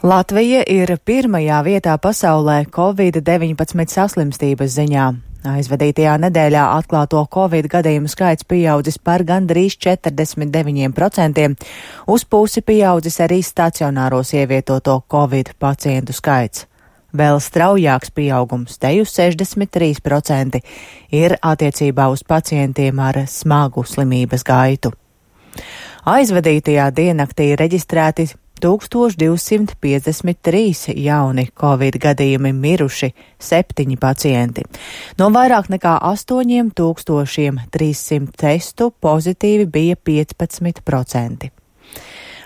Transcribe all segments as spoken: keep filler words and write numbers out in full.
Latvija ir pirmajā vietā pasaulē covid deviņpadsmit saslimstības ziņā. Aizvadītajā nedēļā atklāto covid gadījumu skaits pieaudzis par gandrīz četrdesmit deviņiem procentiem, uz pusi pieaudzis arī stacionāros ievietoto covid pacientu skaits. Vēl straujāks pieaugums, te uz sešdesmit trīs procenti, ir attiecībā uz pacientiem ar smagu slimības gaitu. Aizvadītajā diennaktī reģistrēti tūkstoš divsimt piecdesmit trīs jauni covid gadījumi, miruši septiņi pacienti. No vairāk nekā astoņiem tūkstošiem trīssimt testu pozitīvi bija piecpadsmit procenti.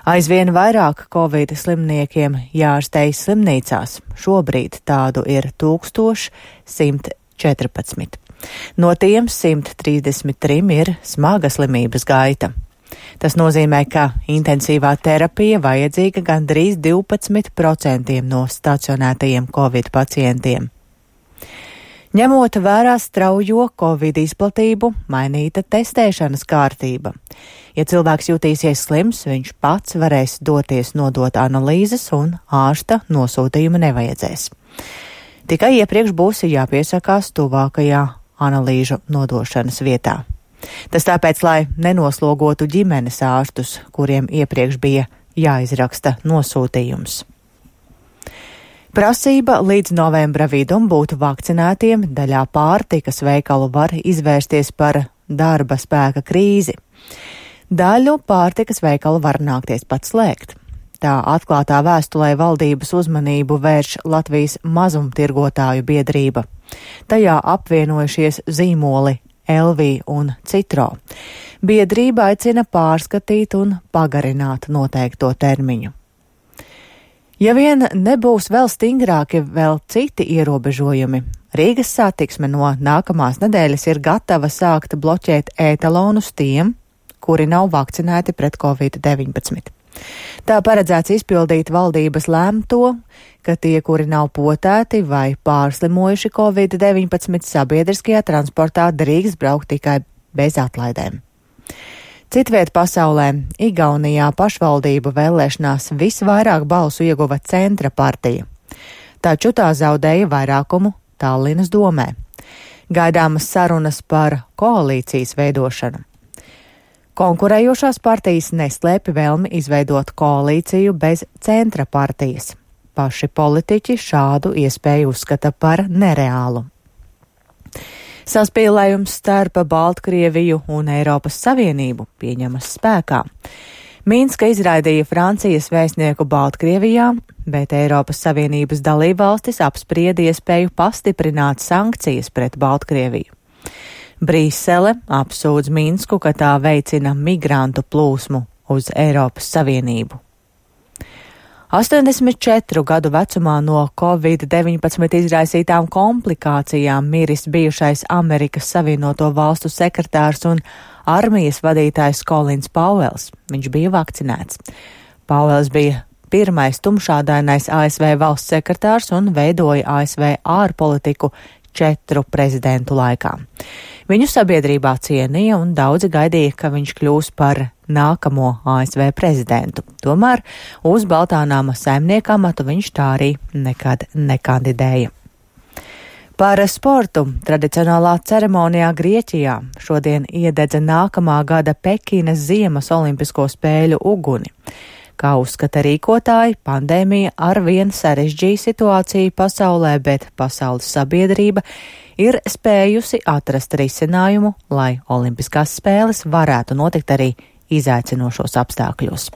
Aizvien vairāk covid slimniekiem jāārstējas slimnīcās. Šobrīd tādu ir tūkstoš simt četrpadsmit. No tiem simt trīsdesmit trim ir smaga slimības gaita. Tas nozīmē, ka intensīvā terapija vajadzīga gandrīz divpadsmit procentiem no stacionētajiem covid pacientiem. Ņemot vērā straujo covid izplatību, mainīta testēšanas kārtība. Ja cilvēks jutīsies slims, viņš pats varēs doties nodot analīzes un ārsta nosūtījuma nevajadzēs. Tikai iepriekš būs jāpiesakās tuvākajā analīžu nodošanas vietā. Tas tāpēc, lai nenoslogotu ģimenes ārstus, kuriem iepriekš bija jāizraksta nosūtījums. Prasība līdz novembra vidum būt vakcinētiem daļā pārtikas veikalu var izvērsties par darba spēka krīzi. Daļu pārtikas veikalu var nākties pat slēgt. Tā atklātā vēstulē valdības uzmanību vērš Latvijas mazumtirgotāju biedrība. Tajā apvienojušies zīmoli L V un Citro. Biedrība aicina pārskatīt un pagarināt noteikto termiņu. Ja vien nebūs vēl stingrāki vēl citi ierobežojumi, Rīgas satiksme no nākamās nedēļas ir gatava sākt bloķēt ētalonus tiem, kuri nav vakcinēti pret covid deviņpadsmit. Tā paredzēts izpildīt valdības lēmto, ka tie, kuri nav potēti vai pārslimojuši covid deviņpadsmit, sabiedriskajā transportā drīkst braukt tikai bez atlaidēm. Citviet pasaulē, Igaunijā pašvaldību vēlēšanās visvairāk balsu ieguva Centra partija, taču tā zaudēja vairākumu Tallinas domē. Gaidāmas sarunas par koalīcijas veidošanu. Konkurējošās partijas neslēpj vēlmi izveidot koalīciju bez Centra partijas. Paši politiķi šādu iespēju uzskata par nereālu. Saspīlējums starp Baltkrieviju un Eiropas Savienību pieņemas spēkā. Minska izraidīja Francijas vēstnieku Baltkrievijā, bet Eiropas Savienības dalībvalstis apsprieda iespēju pastiprināt sankcijas pret Baltkrieviju. Brīsele apsūdz Minsku, ka tā veicina migrantu plūsmu uz Eiropas Savienību. astoņdesmit četru gadu vecumā no covid deviņpadsmit izraisītām komplikācijām miris bijušais Amerikas Savienoto Valstu sekretārs un armijas vadītājs Kolins Pauels. Viņš bija vakcinēts. Pauels bija pirmais tumšādainais A S V valsts sekretārs un veidoja A S V ārpolitiku četru prezidentu laikā. Viņu sabiedrībā cienīja un daudzi gaidīja, ka viņš kļūs par nākamo A S V prezidentu. Tomēr uz Baltānāma saimnieka amatu viņš tā arī nekad nekandidēja. Par sportu tradicionālā ceremonijā Grieķijā šodien iededza nākamā gada Pekinas ziemas olimpisko spēļu uguni. Kā uzskata rīkotāji, pandēmija arvien sarežģīja situāciju pasaulē, bet pasaules sabiedrība ir spējusi atrast risinājumu, lai olimpiskās spēles varētu notikt arī izaicinošos apstākļos.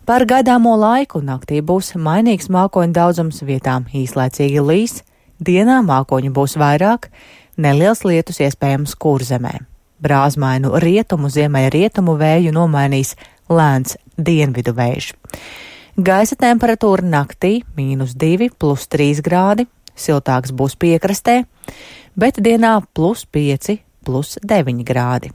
Par gaidāmo laiku naktī būs mainīgs mākoņu daudzums, vietām īslaicīgi līs, dienā mākoņu būs vairāk, neliels lietus iespējams Kurzemē. Brāzmainu rietumu ziemeļrietumu vēju nomainīs lēns dienvidu vējš. Gaisa temperatūra naktī mīnus divi plus trīs grādi, siltāks būs piekrastē, bet dienā plus pieci plus deviņi grādi.